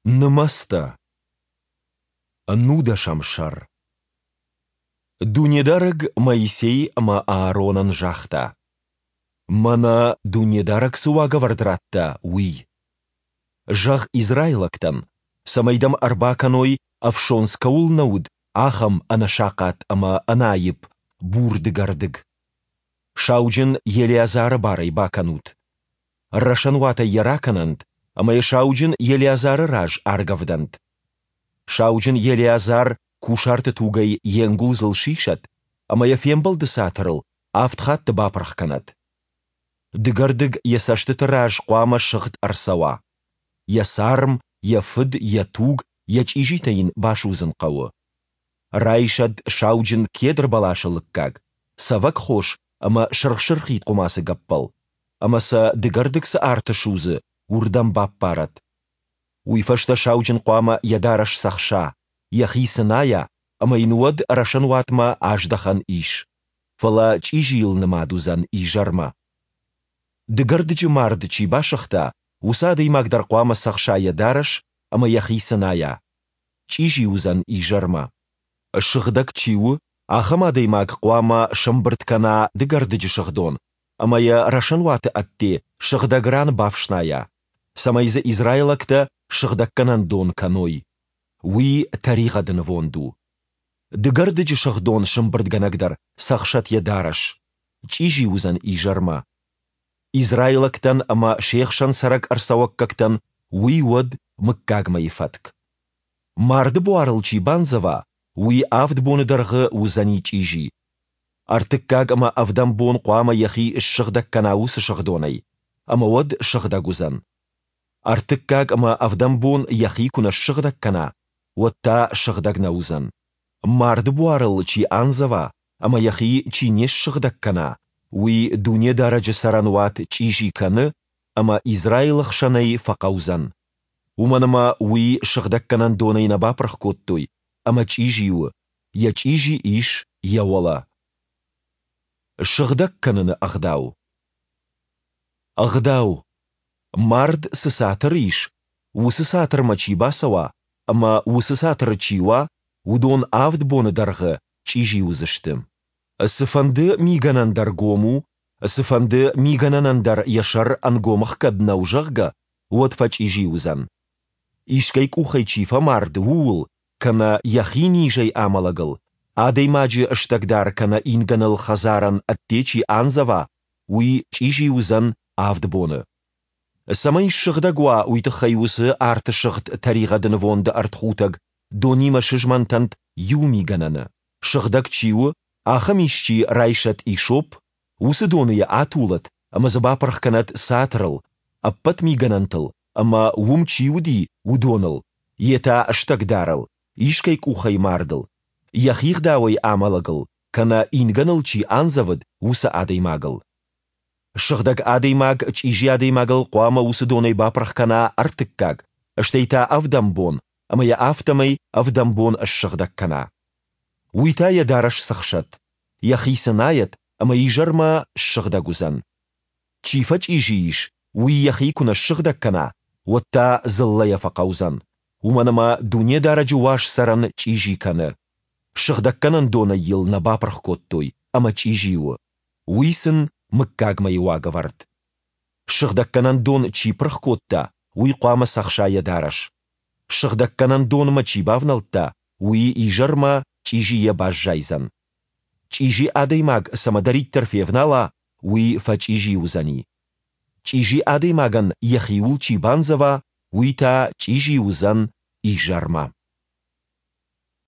Нымӕцтӕ. Нудӕсӕм сӕр. Дунедарӕг Моисей ӕмӕ Ааронӕн загъта: Мӕнӕ Дунедарӕг цы уагӕвӕрд радта, уый. Зӕгъ израилӕгтӕн, цӕмӕй дӕм ӕрбакӕной, ӕфсондз кӕуыл нӕ уыд, ахӕм ӕнӕсахъат ӕмӕ ӕнӕаипп бур дыгӕрдыг. Сауджын Елеазары бар ӕй бакӕнут. Рӕсӕнуатӕй йӕ ракӕнӕнт ӕмӕ йӕ сауджын Елеазары раз аргӕвдӕнт. Сауджын Елеазар кусарты тугӕй йе нгуылдзыл сисӕд ӕмӕ йӕ фембӕлды цатырыл авд хатты бапырх кӕнӕд. Дыгӕрдыг йӕ цӕстыты раз хъуамӕ сыгъд ӕрцӕуа. Йӕ царм, йӕ фыд, йӕ туг, йӕ чъизитӕ йын басудзын хъӕуы. Райсӕд сауджын кедр бӕласы лыггаг, цӕвӕгхос ӕмӕ сырх-сырхид хъуымацы гӕппӕл, ӕмӕ сӕ дыгӕрдыг цы арты судзы, уырдӕм баппарӕд. Уый фӕстӕ сауджын хъуамӕ йӕ дарӕс цӕхса, йӕхи цынайа, ӕмӕ йын уӕд рӕсӕнуатмӕ аздӕхӕн ис, фӕлӕ чъизийыл нымад уыдзӕн изӕрмӕ. Дыгӕрдыджы мард чи басыгъта, уыцы адӕймаг дӕр хъуамӕ цӕхса йӕ дарӕс ӕмӕ йӕхи цынайа. Чъизи уыдзӕн изӕрмӕ. Сыгъдӕг чи у, ахӕм адӕймаг хъуамӕ сӕмбырд кӕна дыгӕрдыджы сыгъдон ӕмӕ йӕ рӕсӕнуаты ӕдде сыгъдӕг ран бафснайа, цӕмӕй дзы израилӕгтӕ сыгъдӕггӕнӕн дон кӕной. Уый тӕригъӕды нывонд у. Дыгӕрдыджы сыгъдон сӕмбырдгӕнӕг дӕр цӕхсӕд йӕ дарӕс, чъизи уыдзӕн изӕрмӕ. Израилӕгтӕн ӕмӕ се хсӕн цӕрӕг ӕрцӕуӕггӕгтӕн уый уӕд мыггагмӕйы фӕтк. Марды буарыл чи бандзӕва, уый авд боны дӕргъы уыдзӕни чъизи. Ӕртыккаг ӕмӕ ӕвдӕм бон хъуамӕ йӕхи ссыгъдӕг кӕна уыцы сыгъдонӕй, ӕмӕ уӕд сыгъдӕг уыдзӕн. Ӕртыккаг ӕмӕ ӕвдӕм бон йӕхи куы нӕ ссыгъдӕг кӕна, уӕд та сыгъдӕг нӕ уыдзӕн. Марды буарыл чи андзӕва ӕмӕ йӕхи чи не ссыгъдӕг кӕна, уый Дунедарӕджы цӕрӕнуат чъизи кӕны ӕмӕ Израилы хсӕнӕй фӕхъӕудзӕн. Уымӕн ӕмӕ уый сыгъдӕггӕнӕн донӕй нӕ бапырх кодтой ӕмӕ чъизи у, йӕ чъизи ис йӕ уӕлӕ. Сыгъдӕг кӕныны ӕгъдау. Ӕгъдау. Мард цы цатыры ис, уыцы цатырмӕ чи бацӕуа ӕмӕ уыцы цатыры чи уа, уыдон авд боны дӕргъы чъизи уыдзысты. Цыфӕнды мигӕнӕн дӕр гом у, цыфӕнды мигӕнӕнӕн дӕр йӕ сӕр ӕнгом ӕхгӕд нӕу, зӕгъгӕ, уӕд фӕчъизи уыдзӕн. Искӕй къухӕй чи фӕмард, ууыл, кӕнӕ йӕхи низӕй амӕлӕгыл, адӕймаджы стӕгдар кӕнӕ ингӕныл хӕдзарӕн ӕдде чи андзӕва, уый чъизи уыдзӕн авд боны. Цӕмӕй ссыгъдӕг уа, уый тыххӕй уыцы арты сыгъд тӕригъӕды нывонды ӕртхутӕг донимӕ сызмӕнтӕнт иу мигӕнӕны, сыгъдӕг чи у, ахӕм исчи райсӕд исоп, уыцы доны йӕ атулӕд ӕмӕ дзы бапырх кӕнӕд цатырыл, ӕппӕт мигӕнӕнтыл ӕмӕ уым чи уыди, уыдоныл, йе та стӕгдарыл, искӕй къухӕй мардыл, йӕхи гъдауӕй амӕлӕгыл кӕнӕ ингӕныл чи андзӕвыд, уыцы адӕймагыл. Сыгъдӕг адӕймаг чъизи адӕймагыл хъуамӕ уыцы донӕй бапырх кӕна ӕртыккаг, стӕй та ӕвдӕм бон ӕмӕ йӕ афтӕмӕй ӕвдӕм бон ссыгъдӕг кӕна. Уый та йӕ дарӕс цӕхсӕд, йӕхи цынайӕд ӕмӕ изӕрмӕ ссыгъдӕг уыдзӕн. Чи фӕчъизи ис, уый йӕхи куы нӕ ссыгъдӕг кӕна, уӕд та дзыллӕйӕ фӕхъӕудзӕн, уымӕн ӕмӕ Дунедарӕджы уаз цӕрӕн чъизи кӕны. Сыгъдӕггӕнӕн донӕй йыл нӕ бапырх кодтой ӕмӕ чъизи у. Уый сын мыггагмӕйы уагӕвӕрд. Сыгъдӕггӕнӕн дон чи пырх кодта, уый хъуамӕ цӕхса йӕ дарӕс. Сыгъдӕггӕнӕн донмӕ чи бавнӕлдта, уый изӕрмӕ чъизийӕ баззайдзӕн. Чъизи адӕймаг цӕмӕдӕриддӕр февнала, уый фӕчъизи уыдзӕни. Чъизи адӕймагӕн йӕхиуыл чи бандзӕва, уый та чъизи уыдзӕн изӕрмӕ.